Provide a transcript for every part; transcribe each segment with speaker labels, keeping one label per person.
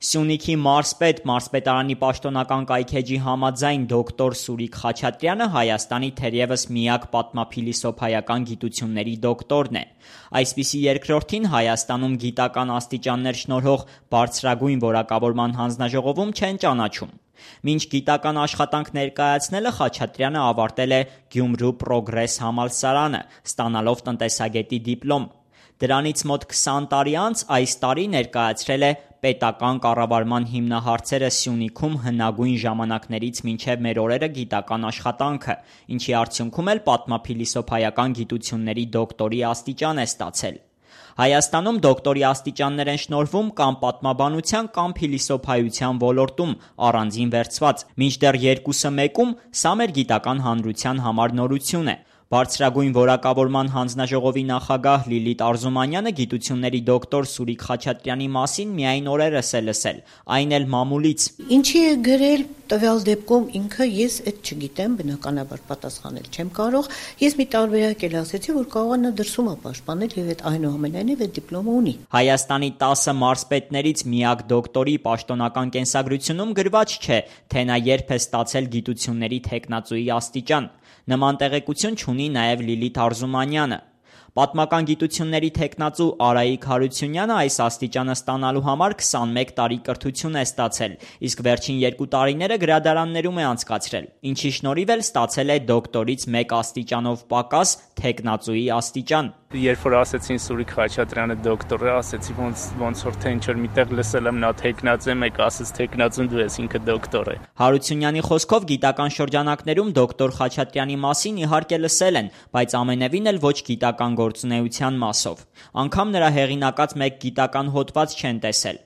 Speaker 1: Սյունիքի մարզպետ, մարզպետարանի պաշտոնական կայքէջի համաձայն դոկտոր Սուրիկ Խաչատրյանը Հայաստանի թերևս միակ պատմափիլիսոփայական գիտությունների դոկտորն է։ Այսպիսի երկրորդին Հայաստանում գիտական աստիճաններ շնորհող բարձրագույն որակավորման հանձնաժողովում չեն ճանաչում։ Մինչ գիտական աշխատանք ներկայացնելը Խաչատրյանը ավարտել է Գյումրու Պրոգրես համալսարանը, ստանալով տնտեսագետի դիպլոմ։ Դրանից մոտ 20 տարի անց այս տարի ներկայացրել է պետական կառավարման հիմնահարցերը Սյունիքում հնագույն ժամանակներից մինչև մեր օրերը գիտական աշխատանքը, ինչի արդյունքում էլ պատմափիլիսոփայական գիտությունների դոկտորի աստիճան է ստացել։ Հայաստանում դոկտորի աստիճաններ են շնորհվում կամ պատմաբանության կամ փիլիսոփայության ոլորտում առանձին վերցված, մինչդեռ երկուսը մեկում սա մեր գիտական հանրության համար նորություն է։ Բարձրագույն որակավորման հանձնաժողովի նախագահ Լիլիթ Արզումանյանը գիտությունների դոկտոր Սուրիկ Խաչատրյանի մասին միայն օրերս է լսել, այն էլ մամուլից։
Speaker 2: Ինչի է գրել տվյալ դեպքում ինքը ես այդ չգիտեմ, բնականաբար պատասխանել չեմ կարող։ Ես մի տարբերակ էլ ասեցի, որ կարող է նա դրսում է պաշտպանել եւ այդ այնուամենայնիվ այդ դիպլոմը ունի։
Speaker 1: Հայաստանի 10 մարզպետներից միակ դոկտորի պաշտոնական կենսագրությունում գրված չէ, թե նա երբ է ստացել գիտությունների թեկնածուի աստիճան։ Նման տեղեկություն չունի նաև Լիլիթ Արզումանյանը։ Պատմական գիտությունների թեկնածու Արայիկ Հարությունյանը այս աստիճանը ստանալու համար 21 տարի կրթություն է ստացել, իսկ վերջին 2 տարիները գրադարաններում է անցկացրել, ինչի շնորհիվ էլ ստացել է դոկտորից 1 աստիճանով պակաս թեկնածուի աստիճան։
Speaker 3: Երբ որ ասեցին Սուրիկ Խաչատրյանը դոկտոր է, ասեցի ոնց որ թե ինչ-որ միտեղ լսել եմ նա թեկնածու է, մեկ ասեց թեկնածուն դու ես, ինքը դոկտոր է։
Speaker 1: Հարությունյանի խոսքով գիտական շրջանակներում դոկտոր Խաչատրյանի մասին իհարկե լսել են, բայց ամենևին էլ ոչ գիտական գործունեության մասով։ Անգամ նրա հեղինակած մեկ գիտական հոդված չեն տեսել։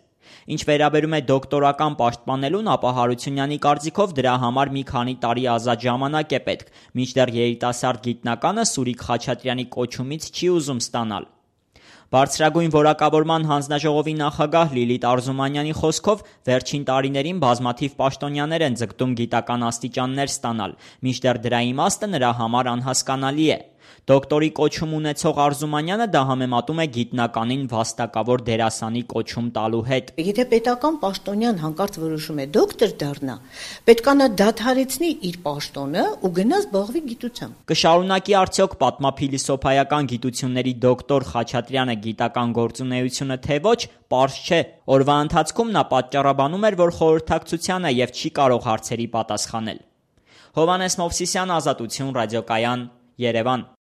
Speaker 1: Ինչ վերաբերում է դոկտորական պաշտպանելուն, ապա Հարությունյանի կարծիքով դրա համար մի քանի տարի ազատ ժամանակ է պետք, մինչդեռ երիտասարդ գիտնականը Սուրիկ Խաչատրյանի կոչումից չի ուզում ստանալ։ Բարձրագույն որակավորման հանձնաժողովի նախագահ Լիլիթ Արզումանյանի խոսքով վերջին տարիներին բազմաթիվ պաշտոնյաներ են ձգտում գիտական աստիճաններ ստանալ, մինչդեռ դրա իմաստը նրա համար անհասկանալի է։ Դոկտորի կոչում ունեցող Արզումանյանը դա համեմատում է գիտնականին վաստակավոր դերասանի կոչում տալու հետ։
Speaker 2: Եթե պետական պաշտոնյան հանկարծ որոշում է դոկտոր դառնա, պետք է նա դադարեցնի իր պաշտոնը ու գնա զբաղվի գիտությամբ։
Speaker 1: Կշարունակի արդյոք պատմափիլիսոփայական գիտությունների դոկտոր Խաչատրյանը գիտական գործունեությունը թե ոչ, պարզ չէ։ Օրվա ընթացքում նա պատճառաբանում էր, որ խորհրդակցության է եւ չի կարող հարցերի պատասխանել։ Հովհաննես Մովսիսյան, Ազատություն, ռադիոկայան, Երևան։